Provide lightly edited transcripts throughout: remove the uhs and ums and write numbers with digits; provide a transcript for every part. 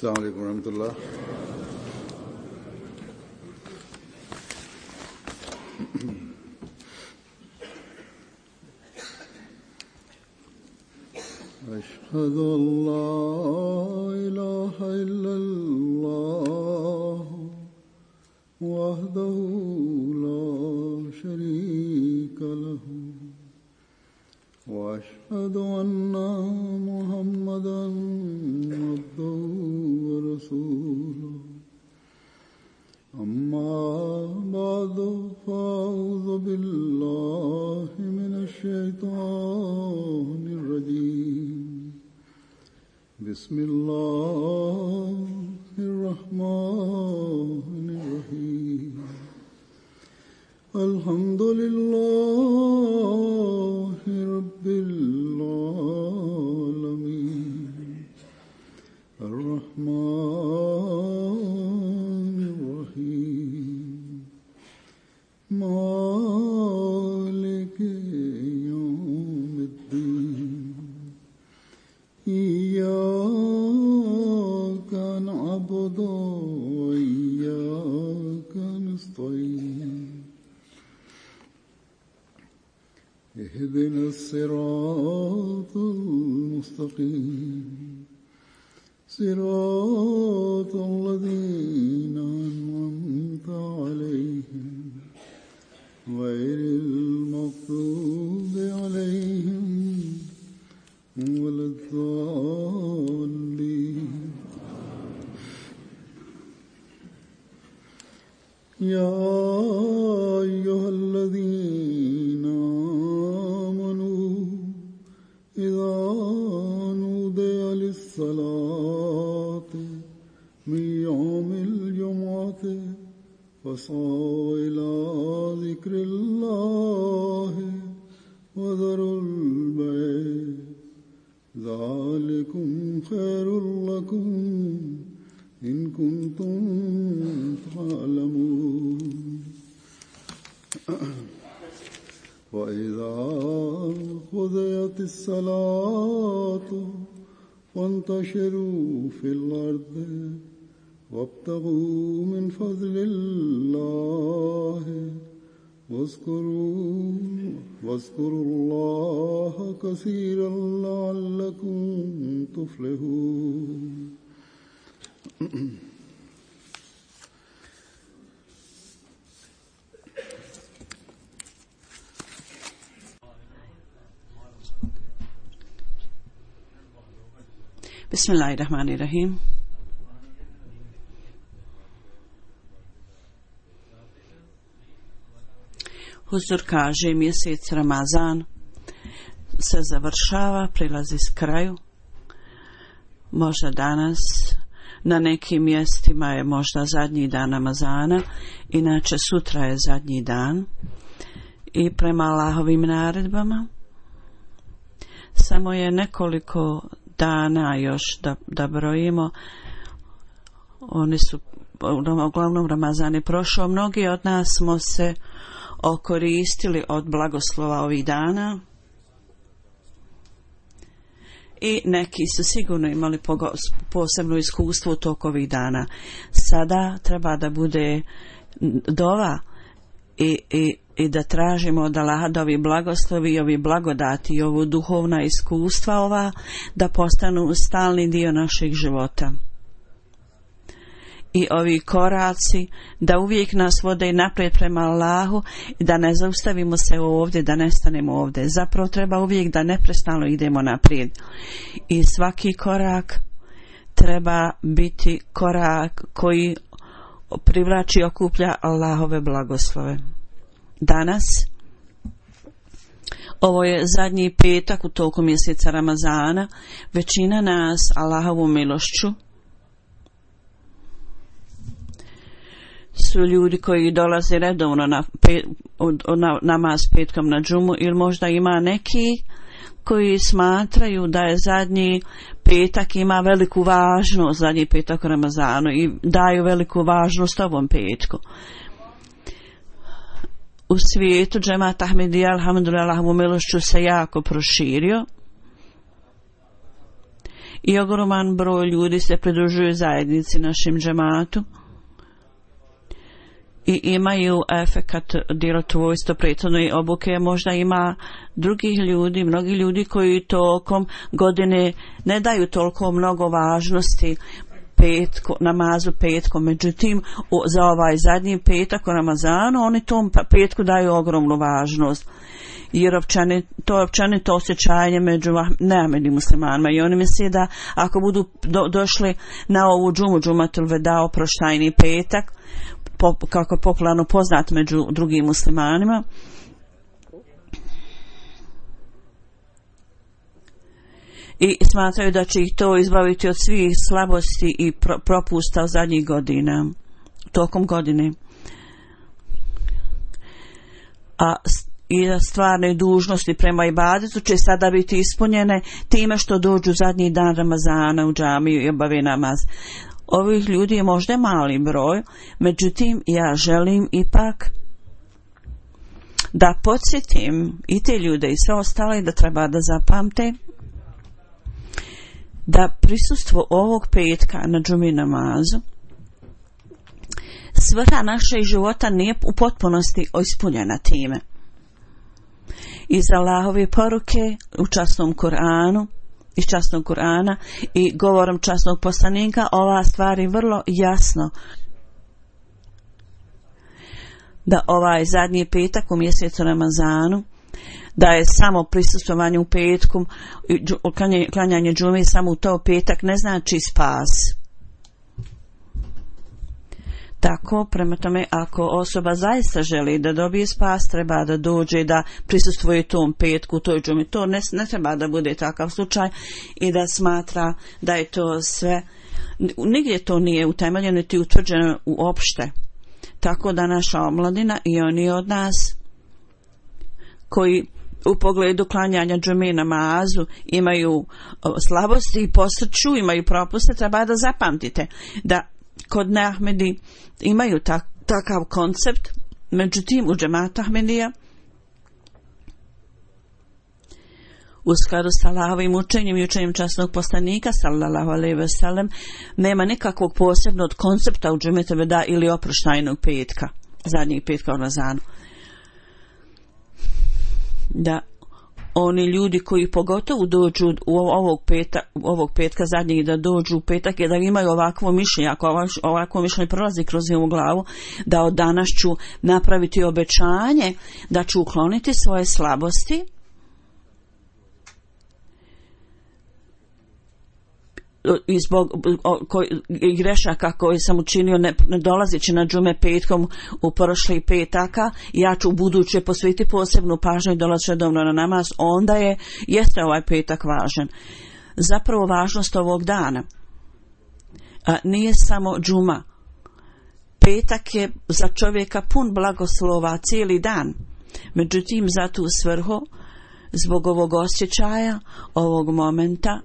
السلام عليكم ورحمة الله. أشهد أن لا إله إلا الله وحده لا شريك له وأشهد أن محمدا عبده ورسوله أما بعد فأعوذ بالله من الشيطان الرجيم بسم الله الرحمن الرحيم الحمد لله رب العالمين الرحمن الرحيم مالك يوم الدين إياك نعبد وإياك نستعين اهدنا الصراط المستقيم صراط الذين أنعمت عليهم غير المغضوب عليهم ولا الضالين. يا أيها الذين آمنوا إذا نودي للصلاة من يوم الجمعة فاسعوا إلى ذكر الله وذروا البيع ذلكم خير لكم إن كنتم تعلمون. وإذا قضيت الصلاة فانتشروا في الأرض وابتغوا من فضل الله واذكروا الله كثيرا لعلكم تفلحون. Bismillahirrahmanirrahim. Huzur kaže, mjesec Ramazan se završava, prilazi s kraju. Možda danas na nekim mjestima je možda zadnji dan Ramazana, inače sutra je zadnji dan. I prema Allahovim naredbama samo je nekoliko dana još da brojimo. Oni su, uglavnom Ramazan je prošao, mnogi od nas smo se okoristili od blagoslova ovih dana i neki su sigurno imali posebno iskustvo u toku ovih dana. Sada treba da bude dova i da tražimo od Allaha da ovi blagoslovi i ovi blagodati i ovo duhovna iskustva ova da postanu stalni dio našeg života. I ovi koraci da uvijek nas vode naprijed prema Allahu i da ne zaustavimo se ovdje, da ne stanemo ovdje. Zapravo treba uvijek da neprestano idemo naprijed. I svaki korak treba biti korak koji privlači i okuplja Allahove blagoslove. Danas, ovo je zadnji petak u toku mjeseca Ramazana, većina nas Allahovom milošću su ljudi koji dolaze redovno na namaz petkom na džumu, ili možda ima neki koji smatraju da je zadnji petak ima veliku važnost, zadnji petak u Ramazanu, i daju veliku važnost ovom petku. U svijetu džemat Ahmedija, alhamdulillah, Allahovom milošću se jako proširio i ogroman broj ljudi se pridružuje zajednici našem džematu i imaju efekat djelotvorstva prethodne obuke. Možda ima drugih ljudi, mnogi ljudi koji tokom godine ne daju toliko mnogo važnosti namazu petkom, međutim za ovaj zadnji petak u Ramazanu oni tom petku daju ogromnu važnost, jer to je općenito osjećanje među neamednim muslimanima i oni misle da ako budu došli na ovu džumatul veda, oproštajni petak, kako je popularno poznat među drugim muslimanima, i smatraju da će ih to izbaviti od svih slabosti i propusta zadnjih godina, tokom godine. I stvarne dužnosti prema ibadetu će sada biti ispunjene time što dođu zadnji dan Ramazana u džamiju i obave namaz. Ovih ljudi je možda mali broj, međutim ja želim ipak da podsjetim i te ljude i sve ostale da treba da zapamte da prisustvo ovog petka na džumi namazu, svrha našeg života nije u potpunosti ispunjena time. Iz Allahove poruke u časnom Kur'anu, iz časnog Kur'ana i govorom časnog poslanika ova stvar je vrlo jasno da ovaj zadnji petak u mjesecu Ramazanu, da je samo prisustvovanje u petku, klanjanje džume samo u to petak ne znači spas. Tako, prema tome, ako osoba zaista želi da dobije spas, treba da dođe da prisustvuje tom petku, toj džumi. To ne treba da bude takav slučaj i da smatra da je to sve, nigdje to nije utemeljeno niti utvrđeno uopšte. Tako da naša omladina i oni od nas koji u pogledu klanjanja džume namazu imaju slabosti i posrću, imaju propuste, treba da zapamtite da kod neahmedi imaju takav koncept, međutim u džematu Ahmedija u skladu s Allahovim učenjem i učenjem časnog poslanika sallallahu alejhi ve sellem nema nikakvog posebnog koncepta u džumetu veda ili oproštajnog petka, zadnjeg petka u Ramazanu. Da oni ljudi koji pogotovo dođu u ovog petka zadnjeg, da dođu u petak i da imaju ovakvo mišljenje, ako ovakvo mišljenje prolazi kroz njihovu glavu, da od danas ću napraviti obećanje da ću ukloniti svoje slabosti i zbog grešaka koje sam učinio ne dolazeći na džume petkom u prošlih petaka, ja ću u buduće posvetiti posebnu pažnju i dolaziti redovno na namaz, onda jeste ovaj petak važan. Zapravo važnost ovog dana nije samo džuma. Petak je za čovjeka pun blagoslova cijeli dan, međutim za tu svrhu, zbog ovog osjećaja, ovog momenta,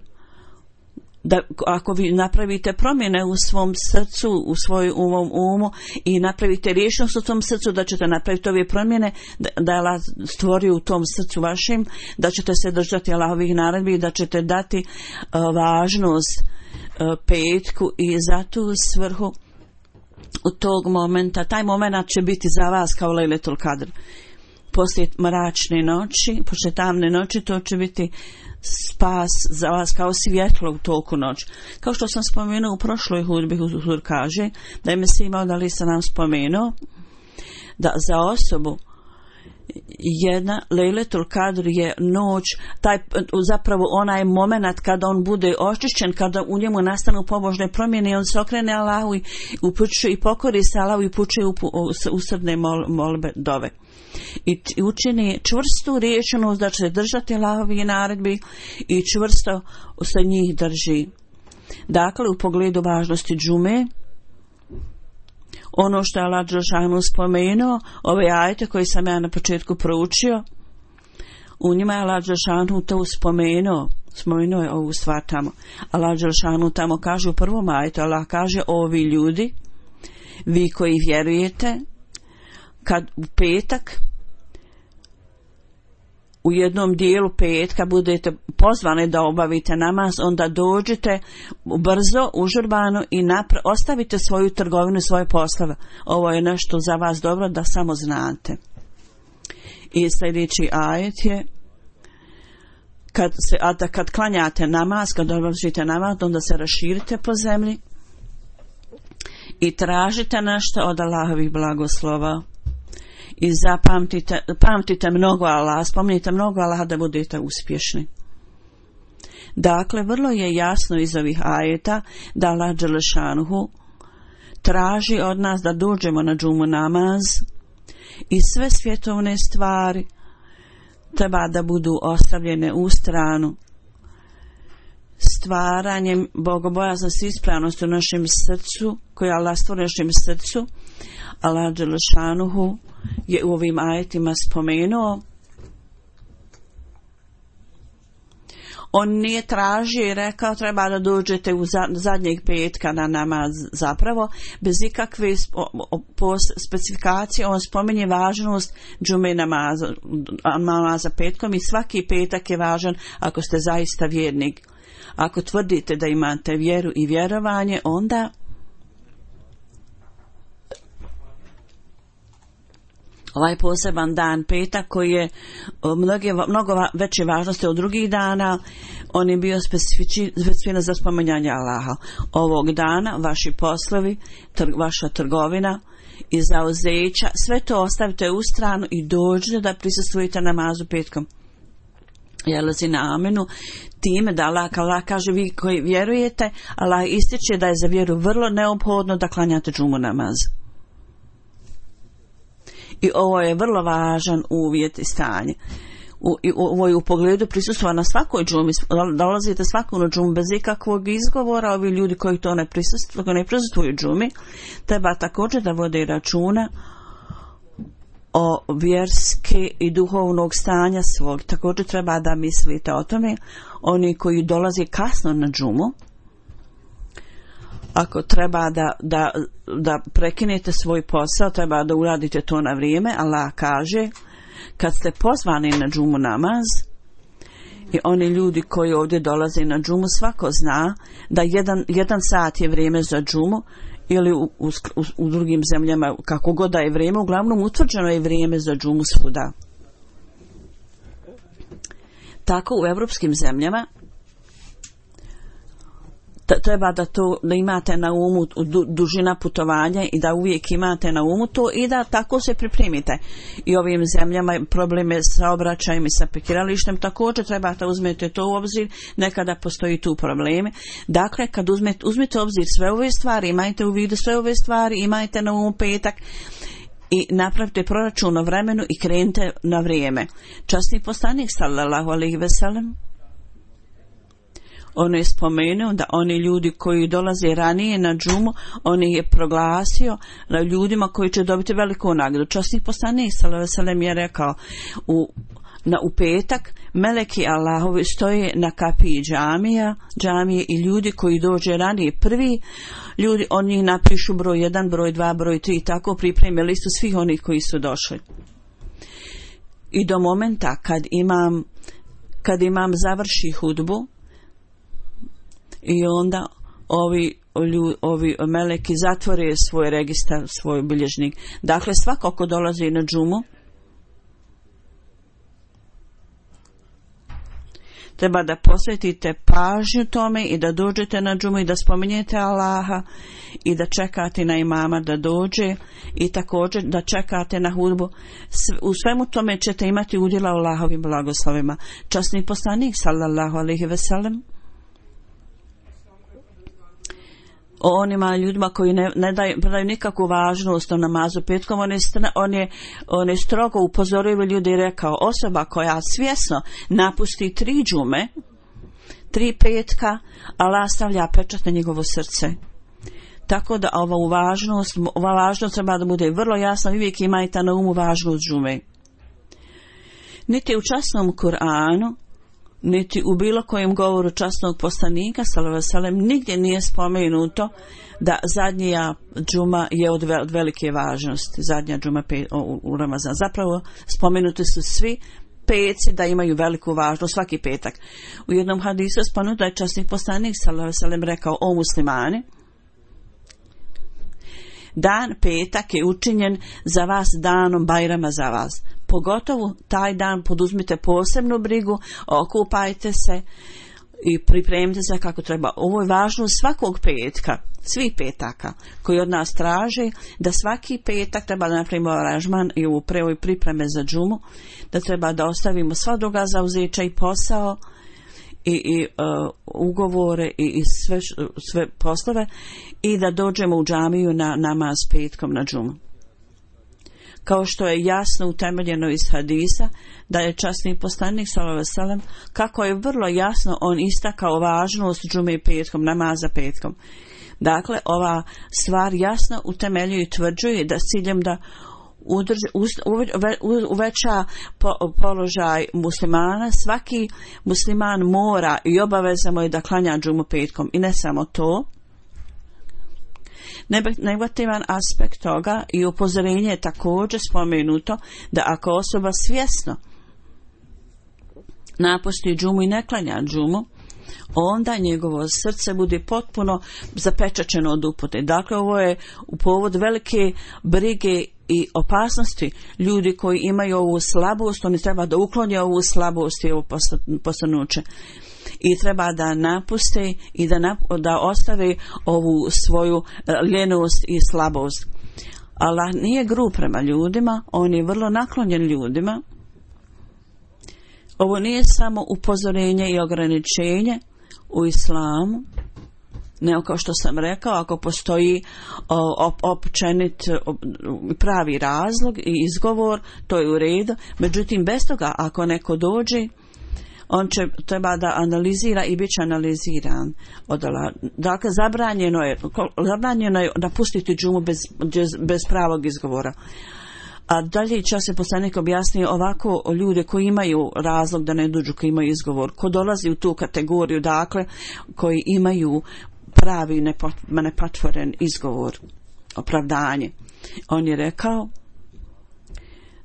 da ako vi napravite promjene u svom srcu, u svojom umu i napravite rješenost u tom srcu da ćete napraviti ove promjene, da je Allah stvorio u tom srcu vašem, da ćete se držati Allahovih naredbi i da ćete dati važnost petku i za tu svrhu u tog momenta, taj moment će biti za vas kao Lejletul Kadr. Poslije mračne noći, poslije tamne noći, to će biti spas za vas kao svjetlo u toku noći. Kao što sam spomenuo u prošloj hudbi, Huzur kaže da je Mesih Maud alejhi selam spomenuo da za osobu jedna Lejletul Kadr je noć, zapravo onaj moment kada on bude očišćen, kada u njemu nastanu pobožne promjene i on se okrene Allahu i upućuje i pokori se Allahu i upućuje usrdne molbe dove. I učini čvrstu rješenost da će se držati Allahovih naredbi i čvrsto se njih drži. Dakle, u pogledu važnosti džume, ono što je Allah dželešanu spomenuo, ove ajete koje sam ja na početku proučio, u njima je Allah dželešanu to spomenuo je ovu stvar tamo. Allah dželešanu tamo kaže u prvom ajetu, Allah kaže: ovi ljudi, vi koji vjerujete, kad u petak u jednom dijelu petka budete pozvani da obavite namaz, onda dođite brzo, užurbano i ostavite svoju trgovinu, svoje poslove. Ovo je nešto za vas dobro da samo znate. I sljedeći ajet je kad klanjate namaz, kad obavite namaz, onda se raširite po zemlji i tražite nešto od Allahovih blagoslova. I pamtite mnogo Allaha, spominjite mnogo Allaha da budete uspješni. Dakle, vrlo je jasno iz ovih ajeta da Allah dželešanuhu traži od nas da dođemo na džumu namaz i sve svjetovne stvari treba da budu ostavljene u stranu. Stvaranjem bogobojaznosti i ispravnosti u našem srcu, koje Allah stvori u našem srcu, Allah dželešanuhu je u ovim ajetima spomenuo. On nije tražio i rekao treba da dođete u zadnjeg petka na namaz, zapravo bez ikakve specifikacije. On spominje važnost džume namaza petkom i svaki petak je važan ako ste zaista vjernik. Ako tvrdite da imate vjeru i vjerovanje, onda ovaj poseban dan petak koji je mnogo veće važnosti od drugih dana, on je bio specifičan za spominjanje Allaha. Ovog dana vaši poslovi, vaša trgovina i zauzeća, sve to ostavite u stranu i dođete da prisustvujete namazu petkom. Jelazi na amenu time da Allah kaže vi koji vjerujete, Allah ističe da je za vjeru vrlo neophodno da klanjate džumu namaz. I ovo je vrlo važan uvjet i stanje. Ovo je u pogledu prisustva na svakoj džumi, dolazite svaku na džumu bez ikakvog izgovora. Ovi ljudi koji to ne prisustvuju džumi treba također da vode računa o vjerske i duhovnog stanja svog. Također treba da mislite o tome. Oni koji dolaze kasno na džumu, ako treba da prekinete svoj posao, treba da uradite to na vrijeme. Allah kaže kad ste pozvani na džumu namaz, i oni ljudi koji ovdje dolaze na džumu, svako zna da jedan sat je vrijeme za džumu, ili u drugim zemljama kako god da je vrijeme, uglavnom utvrđeno je vrijeme za džumu svuda. Tako u evropskim zemljama treba da imate na umu dužina putovanja i da uvijek imate na umu to i da tako se pripremite. I ovim zemljama probleme sa obraćajem i sa parkiralištem također treba da uzmete to u obzir, nekada postoji tu probleme. Dakle, kad uzmete u obzir sve ove stvari, imajte u vidu sve ove stvari, imajte na umu petak i napravite proračun o vremenu i krenite na vrijeme. Časni poslanik sallallahu alejhi ve sellem on je spomenuo da oni ljudi koji dolaze ranije na džumu, on je proglasio na ljudima koji će dobiti veliku nagradu. Časni poslanik sallallahu alejhi ve sellem je rekao u petak meleki Allahovi stoje na kapiji džamije i ljudi koji dođe ranije prvi ljudi, oni napišu broj 1, broj 2, broj 3 i tako pripreme listu svih onih koji su došli. I do momenta kad imam završi hudbu i onda ovi meleki zatvore svoj registar, svoj bilježnik. Dakle, svako ko dolazi na džumu treba da posvetite pažnju tome i da dođete na džumu i da spominjete Allaha i da čekate na imama da dođe i također da čekate na hudbu. U svemu tome ćete imati udjela u Allahovim blagoslovima. Časni poslanik sallallahu alejhi ve sellem o onima ljudima koji ne daju nikakvu važnost o namazu petkom, on je strogo upozorio ljudi i rekao, osoba koja svjesno napusti 3 džume, 3 petka, Allah stavlja pečat na njegovo srce. Tako da ova važnost treba da bude vrlo jasna, uvijek imajte na umu važnost džume. Niti u časnom Kur'anu, niti u bilo kojem govoru časnog poslanika sallallahu alejhi ve sellem nigdje nije spomenuto da zadnja džuma je od velike važnosti, zadnja džuma u Ramazan. Zapravo spomenuti su svi petci da imaju veliku važnost svaki petak. U jednom hadisu spomenuto da je časni poslanik sallallahu alejhi ve sellem rekao: o muslimani, dan petak je učinjen za vas danom Bajrama za vas. Pogotovo taj dan poduzmite posebnu brigu, okupajte se i pripremite se kako treba. Ovo je važno svakog petka, svih petaka koji od nas traže da svaki petak treba da napravimo aranžman i u pripreme za džumu, da treba da ostavimo sva druga zauzeća i posao i ugovore i sve poslove i da dođemo u džamiju na namaz petkom na džumu. Kao što je jasno utemeljeno iz hadisa da je časni poslanik sallallahu alejhi ve sellem, kako je vrlo jasno on istakao važnost džume petkom, namaza petkom. Dakle, ova stvar jasno utemeljuje i tvrđuje da s ciljem da uveća položaj muslimana, svaki musliman mora i obavezamo je da klanja džumu petkom. I ne samo to, negativan aspekt toga i upozorenje je također spomenuto da ako osoba svjesno napusti džumu i ne klanja džumu, onda njegovo srce bude potpuno zapečaćeno od upute. Dakle, ovo je u povod velike brige i opasnosti. Ljudi koji imaju ovu slabost, oni treba da uklonje ovu slabost i ovo posrnuće. I treba da napuste i da ostave ovu svoju ljenost i slabost. Allah nije grub prema ljudima, on je vrlo naklonjen ljudima. Ovo nije samo upozorenje i ograničenje u islamu, nego kao što sam rekao, ako postoji općenit pravi razlog i izgovor, to je u redu. Međutim, bez toga, ako neko dođe, on će treba da analizira i bit će analiziran. Dakle, zabranjeno je napustiti džumu bez pravog izgovora. A dalje časni poslanik objasnio ovako ljude koji imaju razlog da ne dođu, koji imaju izgovor, ko dolazi u tu kategoriju, dakle, koji imaju pravi nepatvoren izgovor, opravdanje. On je rekao: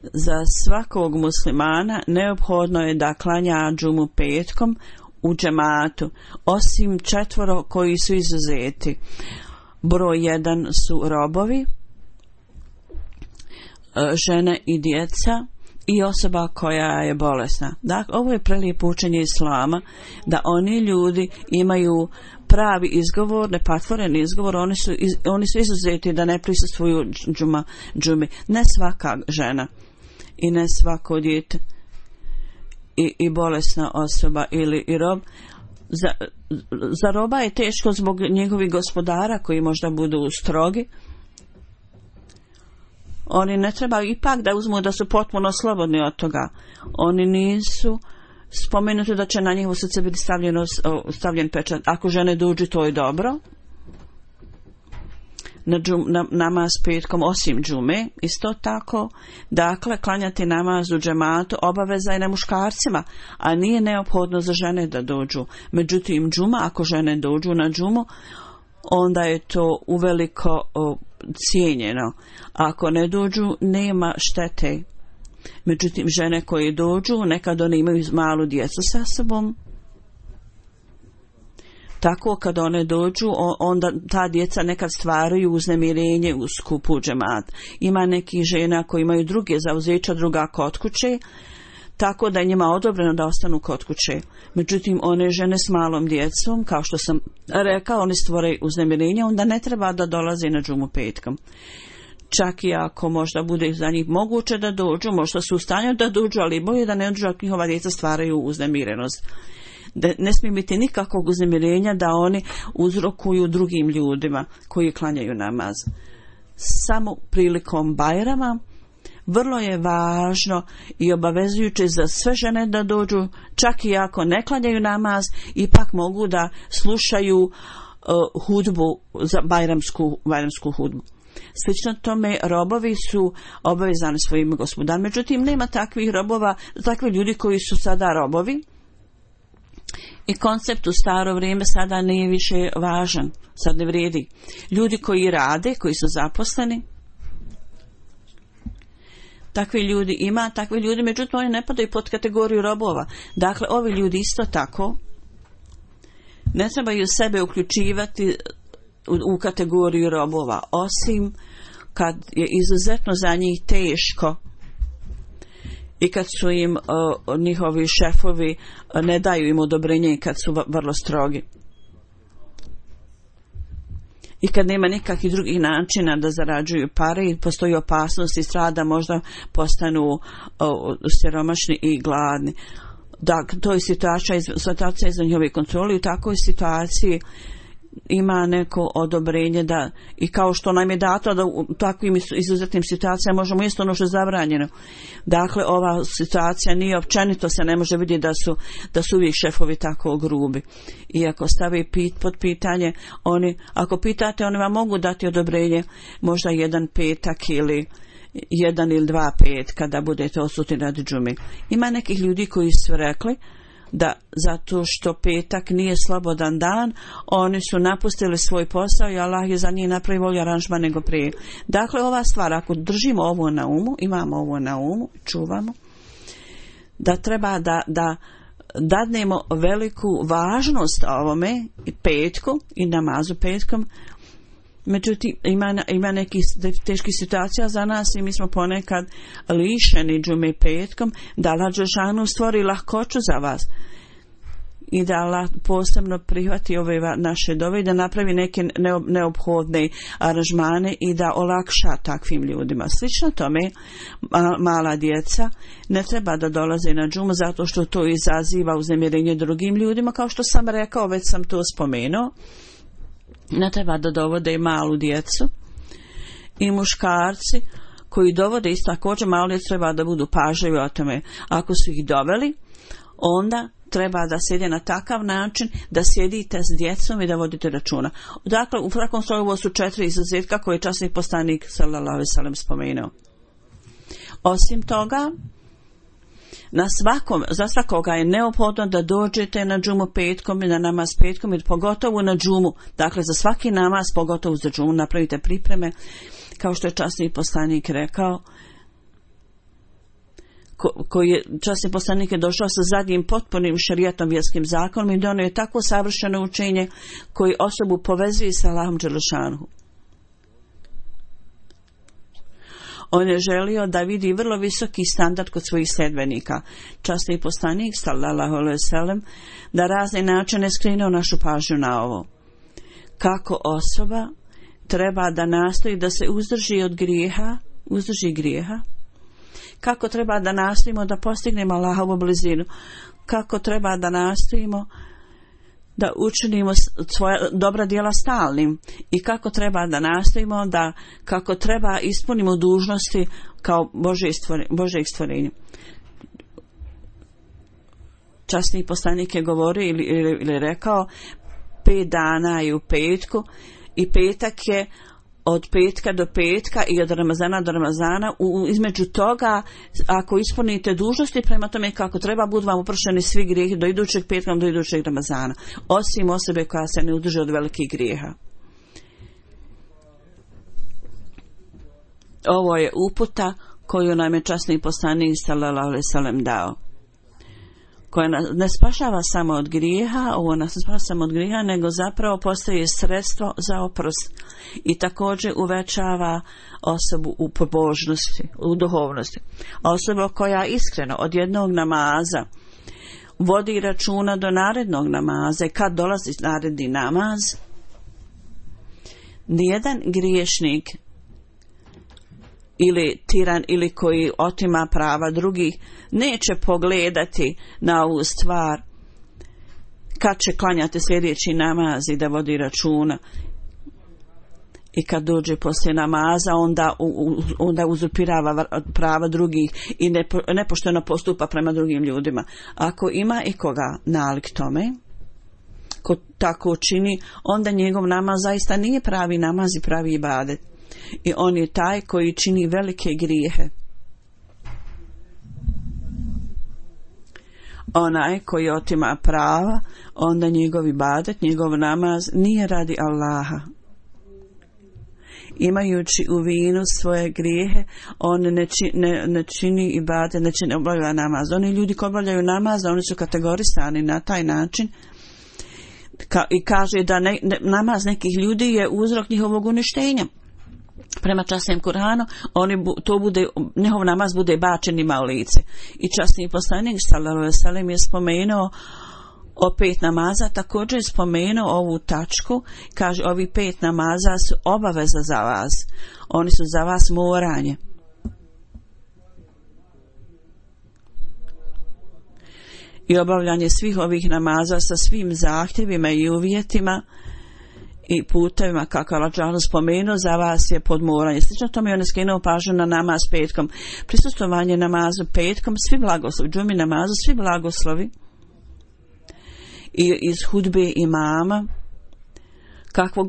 za svakog muslimana neophodno je da klanja džumu petkom u džematu, osim 4 koji su izuzeti. Broj 1 su robovi, žene i djeca i osoba koja je bolesna. Dakle, ovo je prelijepo učenje islama, da oni ljudi imaju pravi izgovor, nepatvoren izgovor, oni su izuzeti da ne prisustvuju džumi. Ne svaka žena i ne svako dijete i bolesna osoba ili i rob. Za roba je teško zbog njegovih gospodara koji možda budu strogi. Oni ne treba ipak da uzmu da su potpuno slobodni od toga. Oni nisu spomenuti da će na njihovo srce biti stavljen pečat. Ako žene dođu, to je dobro. Na namaz petkom osim džume, isto tako, dakle, klanjati namaz u džematu obaveza je na muškarcima, a nije neophodno za žene da dođu. Međutim, džuma, ako žene dođu na džumu, onda je to uveliko cijenjeno. Ako ne dođu, nema štete. Međutim, žene koje dođu, nekad one imaju malu djecu sa sobom. Tako kad one dođu, onda ta djeca nekad stvaraju uznemirenje u skupu džemat. Ima nekih žena koji imaju druge zauzeća, druga kod kuće, tako da je njima odobreno da ostanu kod kuće. Međutim, one žene s malom djecom, kao što sam rekao, oni stvore uznemirenje, onda ne treba da dolaze na džumu petkom. Čak i ako možda bude za njih moguće da dođu, možda su u stanju da dođu, ali bolje da ne dođu ako njihova djeca stvaraju uznemirenost. Ne smije biti nikakvog uznemirenja da oni uzrokuju drugim ljudima koji klanjaju namaz. Samo prilikom Bajrama vrlo je važno i obavezujuće za sve žene da dođu, čak i ako ne klanjaju namaz, ipak mogu da slušaju hudbu, za bajramsku hudbu. Slično tome, robovi su obavezani svojim gospodarima. Međutim, nema takvih robova, takvi ljudi koji su sada robovi. I koncept u staro vrijeme sada nije više važan, sad ne vrijedi. Ljudi koji rade, koji su zaposleni, takvi ljudi ima, takvi ljudi, međutim oni ne padaju pod kategoriju robova. Dakle, ovi ljudi isto tako ne trebaju sebe uključivati u kategoriju robova, osim kad je izuzetno za njih teško i kad su im njihovi šefovi ne daju im odobrenje i kad su vrlo strogi. I kad nema nikakvih drugih načina da zarađuju pare i postoji opasnost i strada, možda postanu siromašni i gladni. Dakle, to je situacija iza njihove kontrole. U takvoj situaciji ima neko odobrenje da, i kao što nam je dato da u takvim izuzetnim situacijama možemo isto ono što je zabranjeno. Dakle, ova situacija nije općenito, se ne može vidjeti da su uvijek šefovi tako grubi. I ako stavi pod pitanje, ako pitate, oni vam mogu dati odobrenje možda 1 petak ili 1 ili 2 petka kada budete odsutni radi džume. Ima nekih ljudi koji su rekli da zato što petak nije slobodan dan, oni su napustili svoj posao i Allah je za njih napravio bolji aranžman nego prije. Dakle, ova stvar, ako držimo ovo na umu, imamo ovo na umu, čuvamo, da treba da dadnemo veliku važnost ovome petku i namazu petkom. Međutim, ima nekih teških situacija za nas i mi smo ponekad lišeni džume petkom, da Allah dželešanu stvori lahkoću za vas i da Allah posebno prihvati ove naše dove i da napravi neke neophodne aranžmane i da olakša takvim ljudima. Slično tome, mala djeca ne treba da dolaze na džumu zato što to izaziva uznemirenje drugim ljudima, kao što sam rekao, već sam to spomenuo. Ne treba da dovode malu djecu i muškarci koji dovode isto također malu djecu treba da budu pažljivi o tome. Ako su ih doveli, onda treba da sjede na takav način da sjedite s djecom i da vodite računa. Dakle, u svakom slučaju ovo su 4 izuzetka koje je časni poslanik sallallahu alejhi ve sellem spomenuo. Osim toga, za svakoga je neophodno da dođete na džumu petkom i na namaz petkom i pogotovo na džumu. Dakle, za svaki namaz, pogotovo za džumu, napravite pripreme, kao što je časni poslanik rekao, koji je časni poslanik je došao sa zadnjim potpunim šerijatom, vjerskim zakonom i donio je tako savršeno učenje koji osobu povezuje sa Allahom dželešanuhu. On je želio da vidi vrlo visoki standard kod svojih sledbenika. Časni poslanik sallallahu alejhi ve sellem da razne načine skrenuo našu pažnju na ovo. Kako osoba treba da nastoji da se uzdrži grijeha, kako treba da nastojimo da postignemo Allahovu blizinu, kako treba da nastojimo da učinimo svoja dobra djela stalnim i kako treba da nastojimo da kako treba ispunimo dužnosti kao Božjeg stvorenja. Časni poslanik je govorio ili rekao 5 dana je u petku i petak je od petka do petka i od Ramazana do Ramazana. Između toga, ako ispunite dužnosti prema tome kako treba, budu vam oprošteni svi grijehi do idućeg petka do idućeg Ramazana, osim osobe koja se ne udrži od velikih grijeha. Ovo je uputa koju nam je časni poslanik sallallahu alejhi ve sellem dao, koja ne spašava samo od grijeha, ovo nas ne spašava samo od grijeha, nego zapravo postaje sredstvo za oprost i također uvećava osobu u pobožnosti, u duhovnosti. Osoba koja iskreno od jednog namaza vodi računa do narednog namaza i kad dolazi naredni namaz, nijedan griješnik ili tiran ili koji otima prava drugih neće pogledati na ovu stvar kad će klanjati sljedeći namaz i da vodi računa i kad dođe poslije namaza onda uzurpirava prava drugih i nepošteno postupa prema drugim ljudima. Ako ima i koga nalik tome, ko tako čini, onda njegov namaz zaista nije pravi namaz i pravi ibadet. I on je taj koji čini velike grijehe. Onaj koji otima prava, onda njegov ibadet, njegov namaz nije radi Allaha. imajući u vinu svoje grijehe, on ne čini ibadet, ne obavlja namaz. Oni ljudi koji obavljaju namaz, oni su kategorisani na taj način i kaže da namaz nekih ljudi je uzrok njihovog uništenja. Prema časnom Kur'anu, njihov namaz bude bačen njima u lice. I časni poslanik sallallahu alejhi ve sellem je spomenuo o 5 namaza, također je spomenuo ovu tačku, kaže ovi 5 namaza su obaveza za vas, oni su za vas moranje. I obavljanje svih ovih namaza sa svim zahtjevima i uvjetima i putevima, kako je Allah spomenuo, za vas je podmoranje. Slično tome je on skrenuo pažnju na namaz petkom. Prisustvovanje namazu petkom, svi blagoslovi, džumi namazu, svi blagoslovi i iz hudbe imama, kakvo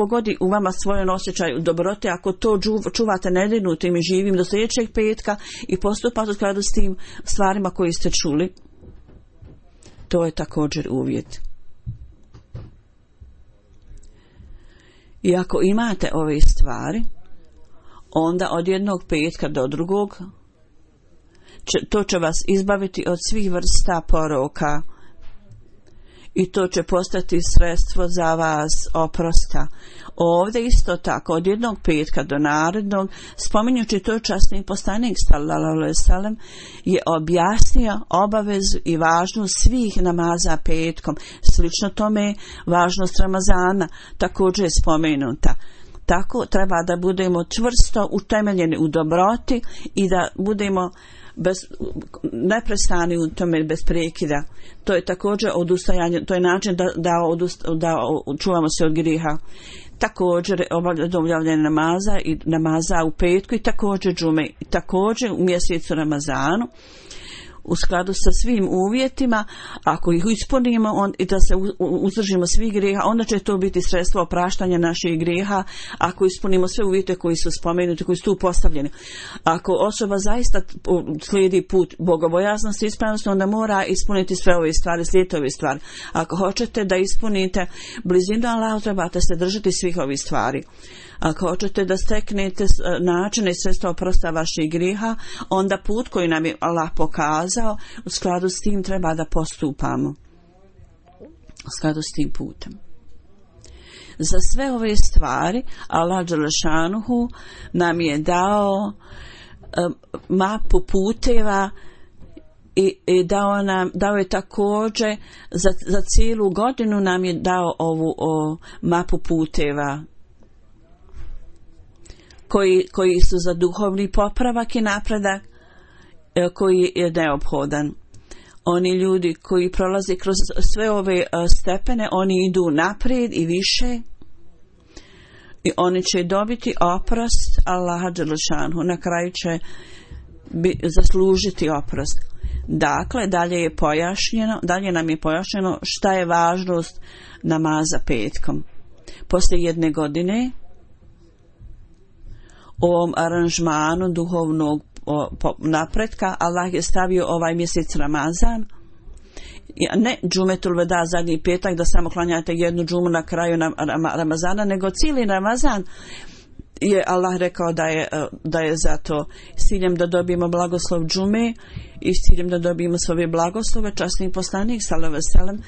god u vama svoj osjećaj dobrote, ako to čuvate nedirnutim i živim do sljedećeg petka i postupate u skladu s tim stvarima koji ste čuli, to je također uvjet. I ako imate ove stvari, onda od jednog petka do drugog to će vas izbaviti od svih vrsta poroka i to će postati sredstvo za vas oprosta. Ovdje isto tako od jednog petka do narednog, spominjući to, časni poslanik sallallahu alejhi ve sellem je objasnio obavezu i važnost svih namaza petkom. Slično tome važnost Ramazana također je spomenuta. Tako treba da budemo čvrsto utemeljeni u dobroti i da budemo neprestani u tome bez prekida. To je također odustajanje, to je način da čuvamo se od grijeha. Također obavljanje namaza i namaza u petku i također džume i također u mjesecu Ramazanu u skladu sa svim uvjetima, ako ih ispunimo i da se uzdržimo svih grijeha, onda će to biti sredstvo opraštanja naših grijeha, ako ispunimo sve uvjete koji su spomenuti, koji su tu postavljeni. Ako osoba zaista slijedi put bogobojaznosti i ispravnosti, onda mora ispuniti sve ove stvari, slijediti ove stvari. Ako hoćete da ispunite blizinu Allahu, trebate se držati svih ovih stvari. Ako hoćete da steknete načine i sredstva oprosta vaših grijeha, onda put koji nam je Allah pokazao, u skladu s tim treba da postupamo. U skladu s tim putem. Za sve ove stvari Allah dželešanuhu nam je dao mapu puteva i dao je također za cijelu godinu nam je dao ovu mapu puteva koji su za duhovni popravak i napredak koji je neophodan. Oni ljudi koji prolaze kroz sve ove stepene, oni idu naprijed i više i oni će dobiti oprost Allaha dželešanhu. Na kraju će zaslužiti oprost. Dakle, dalje nam je pojašnjeno šta je važnost namaza petkom. Poslije jedne godine u ovom aranžmanu duhovnog napretka Allah je stavio ovaj mjesec Ramazan, ne džumetul veda, zadnji petak, da samo klanjate jednu džumu na kraju Ramazana, nego cijeli Ramazan je Allah rekao da je zato s ciljem da dobijemo blagoslov džume i s ciljem da dobijemo svoje blagoslove. Časni poslanik sallallahu alejhi ve sellem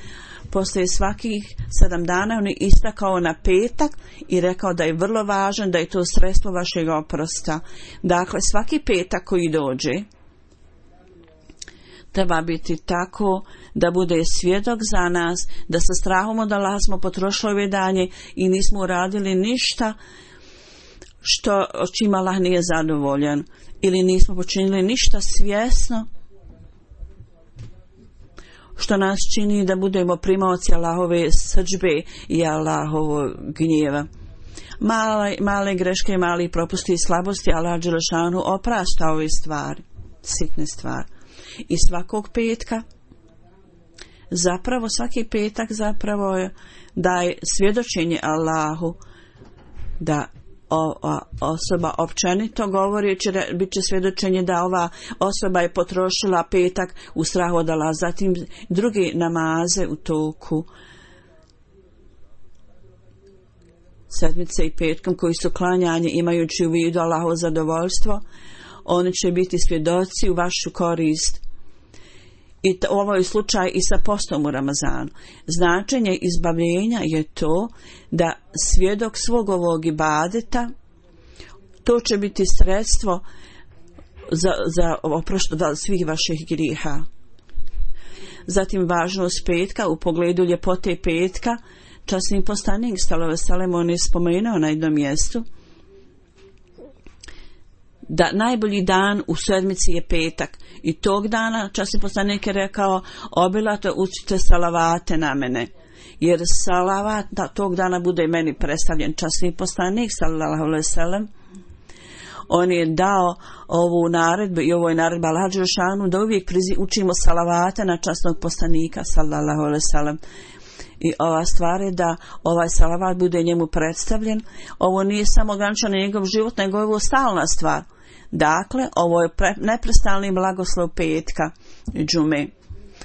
poslije svakih 7 dana on je istakao na petak i rekao da je vrlo važan, da je to sredstvo vašeg oprosta. Dakle, svaki petak koji dođe treba biti tako da bude svjedok za nas, da sa strahom od Allaha smo potrošili ove danje i nismo uradili ništa o čim Allah nije zadovoljan, ili nismo počinili ništa svjesno što nas čini da budemo primaoci Allahove srdžbe i Allahovog gnjeva. Male greške, mali propusti i slabosti Allah dželešanu oprašta ove stvari, sitne stvari. I svakog petka, svaki petak daje svjedočenje Allahu da osoba općenito govori, bit će svjedočenje da ova osoba je potrošila petak u strahu od Allaha, zatim druge namaze u toku sedmice i petkom koji su klanjanje imajući u vidu Allahovo zadovoljstvo, oni će biti svjedoci u vašu korist. I ovo je slučaj i sa postom u Ramazanu. Značenje izbavljenja je to da svjedok svog ovog ibadeta, to će biti sredstvo za oproštenje svih vaših grijeha. Zatim važnost petka u pogledu ljepote petka. Časni poslanik sallallahu alejhi ve sellem on je spomenuo na jednom mjestu da najbolji dan u sedmici je petak i tog dana časni poslanik je rekao obilato učite salavate na mene, jer salavat tog dana bude meni predstavljen. Časni poslanik sallallahu alejhi ve sellem on je dao ovu naredbu i ovo je naredba Allaha dželle šanuhu da uvijek učimo salavate na časnog poslanika sallallahu alejhi ve sellem. I ova stvar je da ovaj salavat bude njemu predstavljen. Ovo nije samo ograničeno na njegov život, nego je ovo stalna stvar. Dakle, ovo je neprestalni blagoslov petka džume.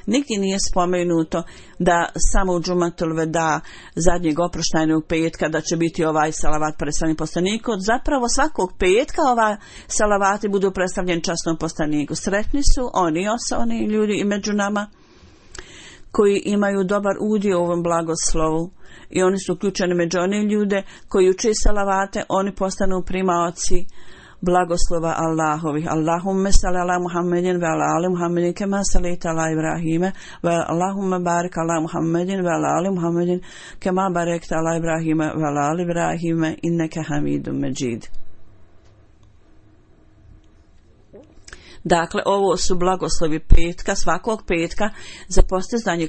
Nigdje nije spomenuto da samo u džumatul veda zadnjeg oproštajnog petka da će biti ovaj salavat predstavljen poslaniku. Zapravo svakog petka ovaj salavati budu predstavljeni časnom poslaniku. Sretni su oni ljudi i među nama koji imaju dobar udio u ovom blagoslovu i oni su uključeni među one ljude koji uče salavate, oni postanu primaoci blagoslova Allahovih. Allahumme salli ala Muhammedin ve ala ali Muhammedin kema sallaita ala Ibrahime ve Allahumme barik ala Muhammedin ve ala ali Muhammedin kema barekta ala Ibrahime ve ala ali Ibrahime inneke hamidum međid. Dakle, ovo su blagoslovi petka, svakog petka za postizanje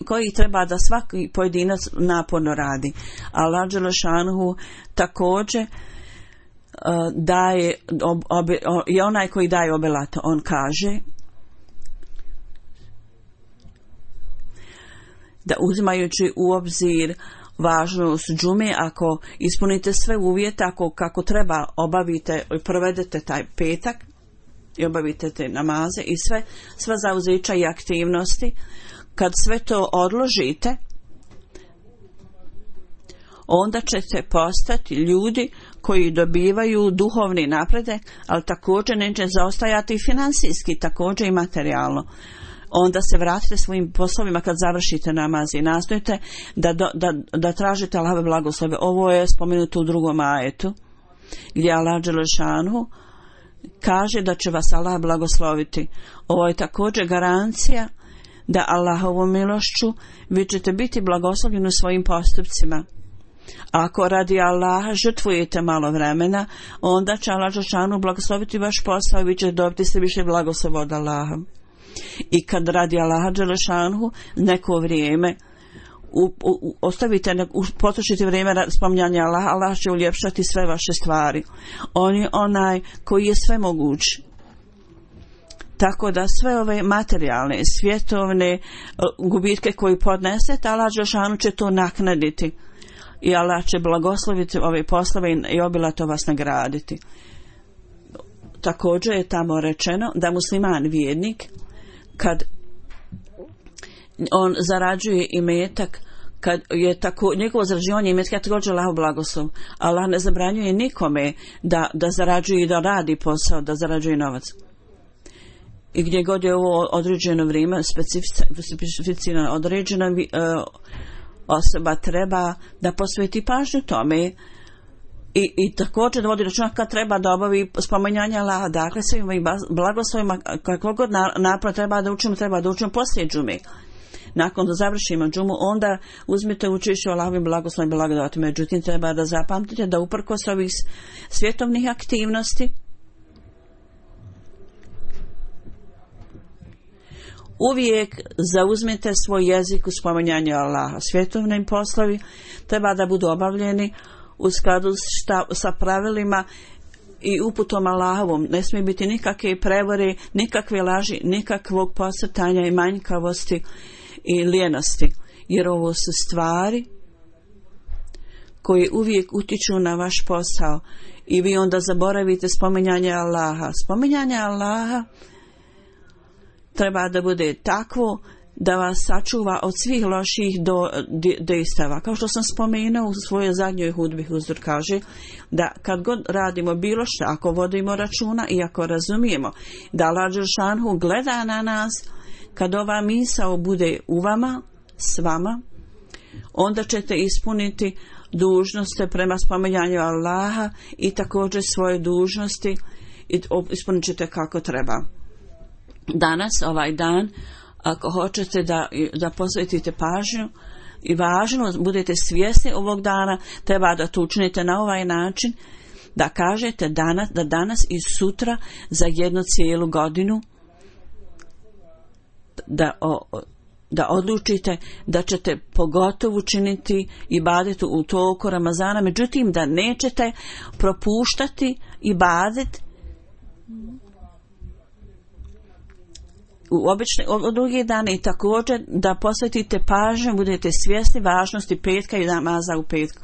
koji treba da svaki pojedinac naporno radi. Allah dželle šanuhu također daje i onaj koji daje obilato, on kaže da uzimajući u obzir važnost džume, ako ispunite sve uvjete, ako kako treba obavite i provedete taj petak i obavite te namaze i sva zauzeća i aktivnosti, kad sve to odložite, onda ćete postati ljudi koji dobivaju duhovni napredak, ali također neće zaostajati i financijski, također i materijalno. Onda se vratite svojim poslovima kad završite namaz i nastojite da tražite Allahove blagoslove. Ovo je spomenuto u drugom ajetu gdje Allah dželle šanuhu kaže da će vas Allah blagosloviti. Ovo je također garancija da Allahovom milošću vi ćete biti blagoslovljeni u svojim postupcima. Ako radi Allaha žrtvujete malo vremena, onda će Allah dželle šanuhu blagosloviti vaš posao i vi ćete dobiti sve više blagoslova od Allaha. I kad radi Allaha dželle šanuhu neko vrijeme ostavite, potrošite vrijeme spominjanja Allaha, Allah će uljepšati sve vaše stvari. On je onaj koji je sve moguć. Tako da sve ove materijalne, svjetovne gubitke koje podnesete, Allah dželle šanuhu će to naknaditi. I Allah će blagosloviti ove poslove i obilato vas nagraditi. Također je tamo rečeno da musliman vjernik kad on zarađuje imetak, kad je tako njegovo zarađivanje imetka također Allahov blagoslov. Allah ne zabranjuje nikome da zarađuje i da radi posao, da zarađuje novac. I gdje god je ovo određeno vrijeme specificirano određeno, osoba treba da posveti pažnju tome i također da vodi računa kad treba da obavi spominjanje Allaha. Dakle, svim ovim blagoslovima kako god napor treba da učimo poslije džume. Nakon da završimo džumu, onda uzmite učešće u Allahovim blagoslovima i blagodati. Međutim, treba da zapamtite da uprkos ovih svjetovnih aktivnosti uvijek zauzmite svoj jezik u spominjanju Allaha. Svjetovni poslovi treba da budu obavljeni u skladu sa pravilima i uputom Allahovom. Ne smije biti nikakve prevare, nikakve laži, nikakvog posrtanja i manjkavosti i lijenosti. Jer ovo su stvari koje uvijek utiču na vaš posao i vi onda zaboravite spominjanje Allaha. Spominjanje Allaha treba da bude takvo da vas sačuva od svih loših dejstava. Kao što sam spomenuo u svojoj zadnjoj hudbi, Huzur kaže da kad god radimo bilo što, ako vodimo računa i ako razumijemo da Allah dželešanu gleda na nas, kad ova misao bude u vama, s vama, onda ćete ispuniti dužnosti prema spominjanju Allaha i također svoje dužnosti i ispunit ćete kako treba. Danas, ovaj dan, ako hoćete da posvetite pažnju i važno, budete svjesni ovog dana, treba da to učinite na ovaj način, da kažete da danas i sutra za jednu cijelu godinu da odlučite da ćete pogotovo učiniti ibadetu u toku Ramazana, međutim da nećete propuštati ibadet u drugi dane i također da posvetite pažnju, budete svjesni važnosti petka i namaza u petku.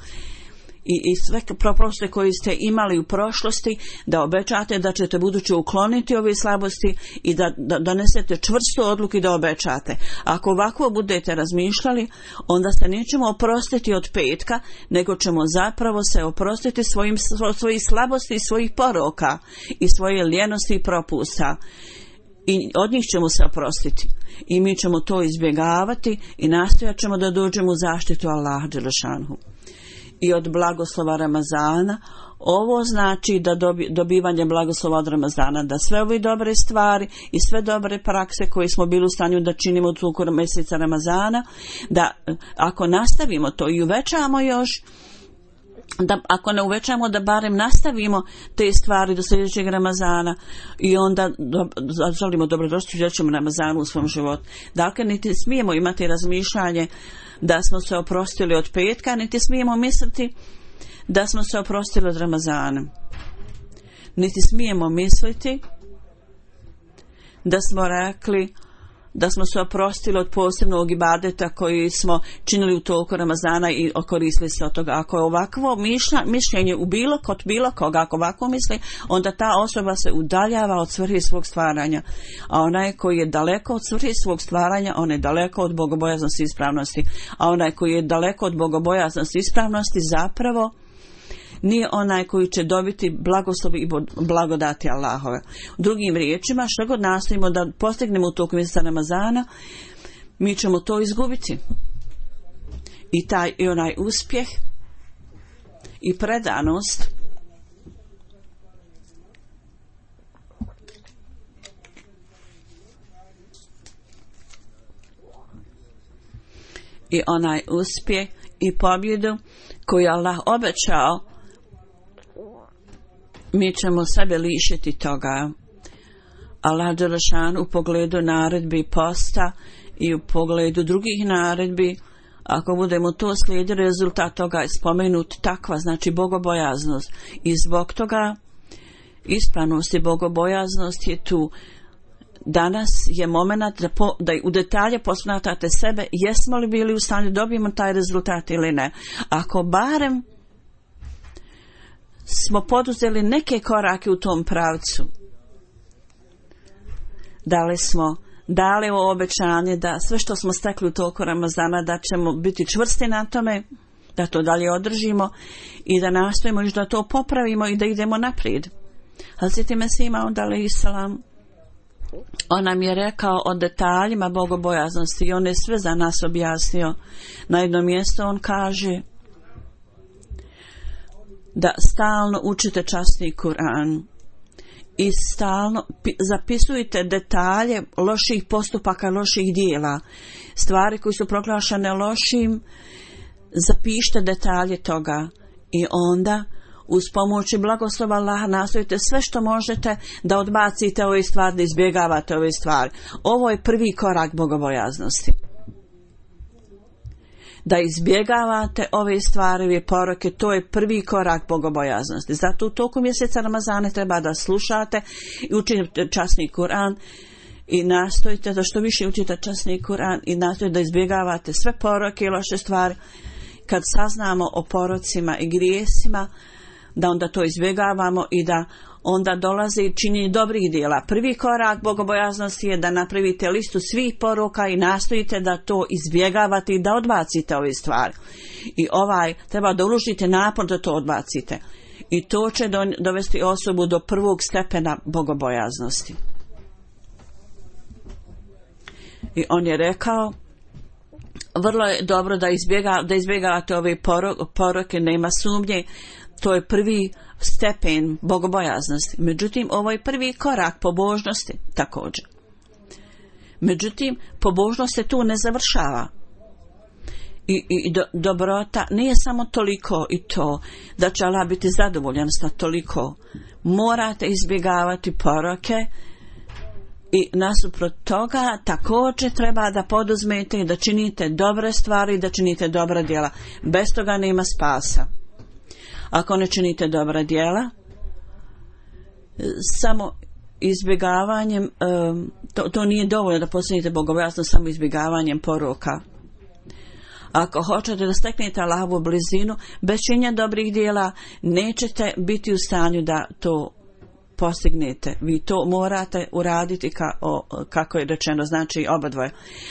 I sve propuste koje ste imali u prošlosti, da obećate da ćete budući ukloniti ove slabosti i da donesete čvrstu odluku i da obećate. Ako ovako budete razmišljali, onda se nećemo oprostiti od petka, nego ćemo zapravo se oprostiti svojih slabosti i svojih poroka i svoje lijenosti i propusta. I od njih ćemo se oprostiti. I mi ćemo to izbjegavati i nastojat ćemo da dođemo u zaštitu Allaha dželešanu. I od blagoslova Ramazana, ovo znači da dobivanje blagoslova od Ramazana, da sve ove dobre stvari i sve dobre prakse koje smo bili u stanju da činimo u toku mjeseca Ramazana, da ako nastavimo to i uvećamo još, da ako ne uvećamo da barem nastavimo te stvari do sljedećeg Ramazana i onda želimo dobrodošli u sljedećem Ramazanu u svom životu. Dakle, niti smijemo imati razmišljanje da smo se oprostili od petka, niti smijemo misliti da smo se oprostili od Ramazana. Niti smijemo misliti da smo rekli da smo se oprostili od posebnog ibadeta koji smo činili u toku Ramazana i okoristili se od toga. Ako je ovakvo mišljenje u kod bilo koga, ako ovako misli, onda ta osoba se udaljava od svrhe svog stvaranja. A onaj koji je daleko od svrhe svog stvaranja, on je daleko od bogobojaznosti i ispravnosti. A onaj koji je daleko od bogobojaznosti i ispravnosti zapravo nije onaj koji će dobiti blagoslovi i blagodati Allahove. U drugim riječima, što god nastojimo da postignemo u toku mjeseca Ramazana, mi ćemo to izgubiti. I onaj uspjeh i predanost i onaj uspjeh i pobjedu koju Allah obećao, mi ćemo sebe lišiti toga. Allah dželešanu u pogledu naredbi posta i u pogledu drugih naredbi, ako budemo to slijedili, rezultat toga je spomenut takva, znači bogobojaznost. I zbog toga ispravnost i bogobojaznost je tu. Danas je moment da u detalje posmatrate sebe, jesmo li bili u stanju da dobijemo taj rezultat ili ne. Ako barem smo poduzeli neke korake u tom pravcu, dali ovo obećanje da sve što smo stekli u toku Ramazana, da ćemo biti čvrsti na tome, da to dalje održimo i da nastojimo još da to popravimo i da idemo naprijed. Hazreti Mesih Maud alejhi selam, on nam je rekao o detaljima bogobojaznosti i on je sve za nas objasnio. Na jednom mjestu on kaže da stalno učite časni Kur'an i stalno zapisujte detalje loših postupaka, loših dijela, stvari koje su proglašene lošim, zapišite detalje toga i onda uz pomoć i blagoslova Allaha nastojite sve što možete da odbacite ove stvari, da izbjegavate ove stvari. Ovo je prvi korak bogobojaznosti. Da izbjegavate ove stvari, ove poroke, to je prvi korak bogobojaznosti. Zato u toku mjeseca Ramazana treba da slušate i učite časni Kur'an i nastojite da što više učite časni Kur'an i nastojite da izbjegavate sve poroke i loše stvari. Kad saznamo o porocima i grijesima, da onda to izbjegavamo i da onda dolazi činjenje dobrih djela. Prvi korak bogobojaznosti je da napravite listu svih poruka i nastojite da to izbjegavate i da odbacite ove stvari. I treba da uložite napor da to odbacite. I to će dovesti osobu do prvog stepena bogobojaznosti. I on je rekao, vrlo je dobro da izbjegavate ove poroke, nema sumnje, to je prvi stepen bogobojaznosti. Međutim, ovo je prvi korak pobožnosti također. Međutim, pobožnost se tu ne završava. I dobrota nije samo toliko i to da će Allah biti zadovoljan sa toliko. Morate izbjegavati poroke i nasuprot toga također treba da poduzmete i da činite dobre stvari i da činite dobra djela. Bez toga nema spasa. Ako ne činite dobra djela, samo izbjegavanjem, to nije dovoljno da postignete bogobojaznost samo izbjegavanjem poroka. Ako hoćete da steknete Allahovu blizinu, bez činjenja dobrih djela nećete biti u stanju da to postignete. Vi to morate uraditi kako je rečeno, znači obadvoje.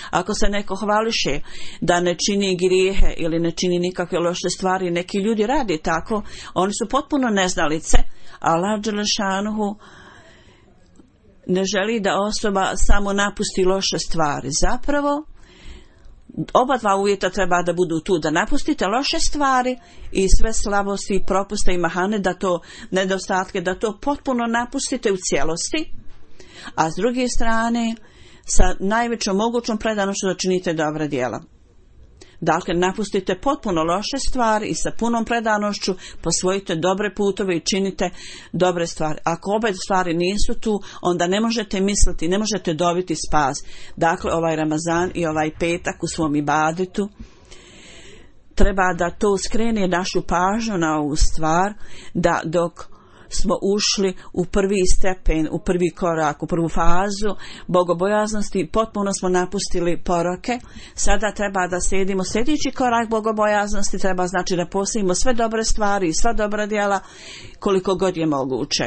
Ako se neko hvališe da ne čini grijehe ili ne čini nikakve loše stvari, neki ljudi radi tako, oni su potpuno neznalice. Allah dželešanuhu ne želi da osoba samo napusti loše stvari. Zapravo, oba dva uvjeta treba da budu tu, da napustite loše stvari i sve slabosti, propuste i mahane, da to nedostatke, da to potpuno napustite u cijelosti, a s druge strane sa najvećom mogućom predanošću da činite dobra djela. Dakle, napustite potpuno loše stvari i sa punom predanošću posvojite dobre putove i činite dobre stvari. Ako obe stvari nisu tu, onda ne možete misliti, ne možete dobiti spas. Dakle, ovaj Ramazan i ovaj petak u svom ibadetu treba da to skrene našu pažnju na ovu stvar, da dok smo ušli u prvi stepen, u prvi korak, u prvu fazu bogobojaznosti, potpuno smo napustili poroke. Sada treba da slijedimo sljedeći korak bogobojaznosti, treba znači da postavimo sve dobre stvari i sva dobra djela koliko god je moguće.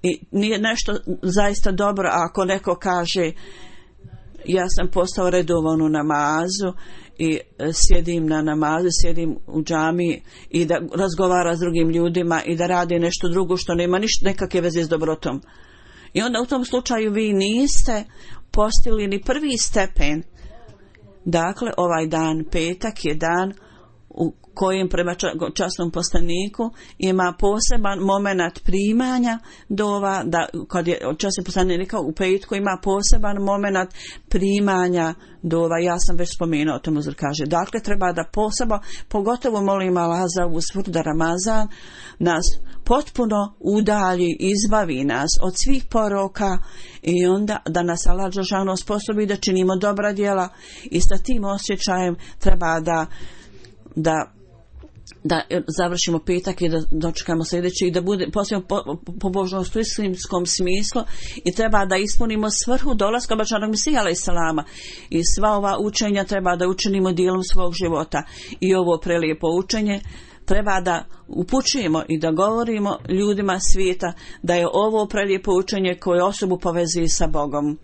I nije nešto zaista dobro ako neko kaže ja sam postao redovan u namazu i sjedim na namazu, sjedim u džamiji i da razgovara s drugim ljudima i da radi nešto drugo što nema nekakve veze s dobrotom. I onda u tom slučaju vi niste postigli ni prvi stepen. Dakle, ovaj dan, petak, je dan u kojem prema časnom poslaniku ima poseban moment primanja dova, da kad je časni poslanik rekao u petku ima poseban moment primanja dova. Ja sam već spomenuo, to Muzir kaže. Dakle, treba da posebno, pogotovo molim Allah za ovu svrhu da Ramazan nas potpuno udalji, izbavi nas od svih poroka i onda da nas Allah dželešanu osposobi da činimo dobra djela i sa tim osjećajem treba da završimo petak i da dočekamo sljedeći i da bude posebno pobožnost u islamskom smislu i treba da ispunimo svrhu dolaska Božanog Mesija alejselama i sva ova učenja treba da učinimo dijelom svog života i ovo prelijepo učenje treba da upućujemo i da govorimo ljudima svijeta da je ovo prelijepo učenje koje osobu povezuje sa Bogom.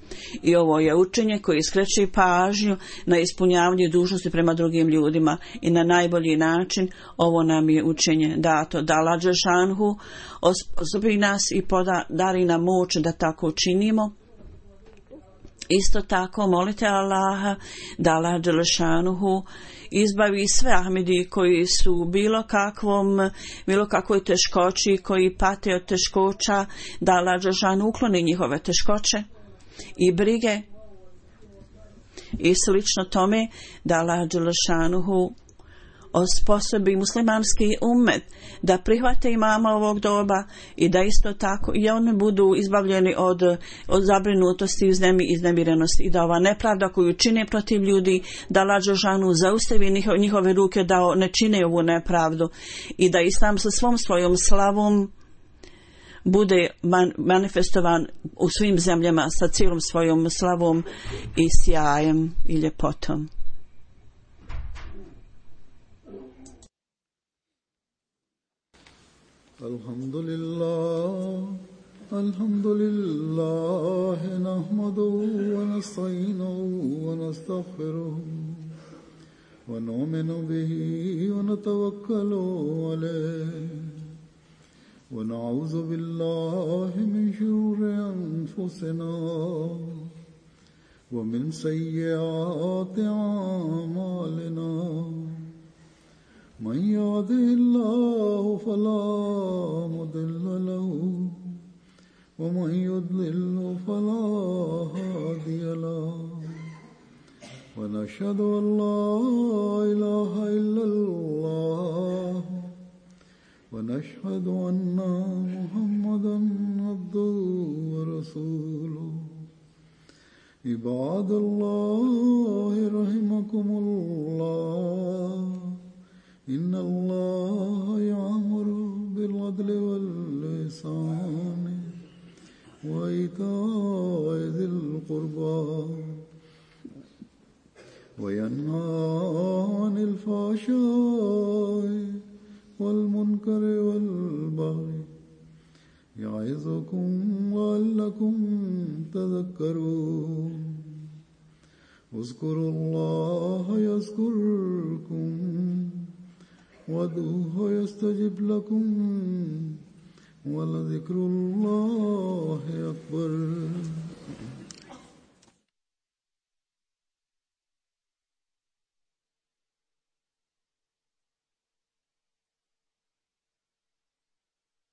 I ovo je učenje koje skreće pažnju na ispunjavanje dužnosti prema drugim ljudima i na najbolji način ovo nam je učenje dato. Da Allah dželešanu osposobi nas i podari nam moć da tako činimo. Isto tako molite Allaha da Allah dželešanu izbavi sve Ahmedi koji su bilo kakvoj teškoći, koji pate od teškoća, da Allah dželešanu ukloni njihove teškoće i brige i slično tome, da Allah dželešanu osposobi muslimanski ummet da prihvate imama ovog doba i da isto tako i oni budu izbavljeni od zabrinutosti i iznemirenosti i da ova nepravda koju čine protiv ljudi, da Allah dželešanu zaustavi njihove ruke da ne čine ovu nepravdu i da Islam sa svom svojom slavom bude manifestovan u svim zemljama sa cijelom svojom slavom i sjajem i ljepotom. الحمد لله نحمده ونستعينه ونستغفره ونؤمن به ونتوكل عليه ونعوذ بالله من شرور أنفسنا ومن سيئات أعمالنا من يهده الله فلا مضل له ومن يضلل فلا هادي له ونشهد أن لا إله إلا الله ونشهد أن محمدا عبده ورسوله عباد الله رحمكم الله إن الله يأمر بالعدل والإحسان وإيتاء ذي القربى وينهى عن الفحشاء والمنكر والبغي يعظكم لعلكم تذكرون اذكروا الله يذكركم وادعوه يستجب لكم ولذكر الله أكبر.